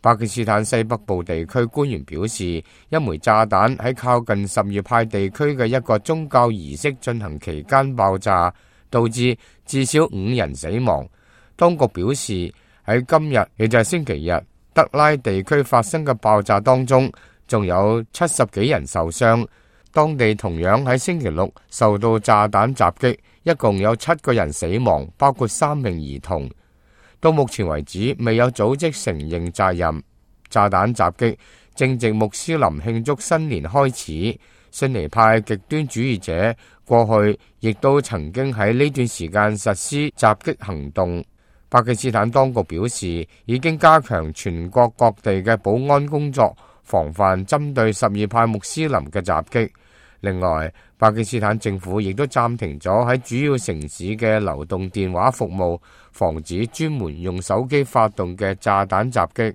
巴基斯坦西北部地區官員表示，一枚炸彈喺靠近什葉派地區嘅一個宗教儀式進行期間爆炸，導致至少5人死亡。當局表示，喺今日，亦就係星期日，德拉地區發生嘅爆炸當中，仲有70幾人受傷。當地同樣喺星期六受到炸彈襲擊，一共有7個人死亡，包括3名兒童。到目前為止，未有組織承認責任。炸彈襲擊正值穆斯林慶祝新年開始，遜尼派極端主義者過去亦都曾經喺呢段時間實施襲擊行動。巴基斯坦當局表示，已經加強全國各地嘅保安工作，防範針對什葉派穆斯林嘅襲擊。另外，巴基斯坦政府亦都暫停咗喺主要城市嘅流動電話服務，防止專門用手機發動嘅炸彈襲擊。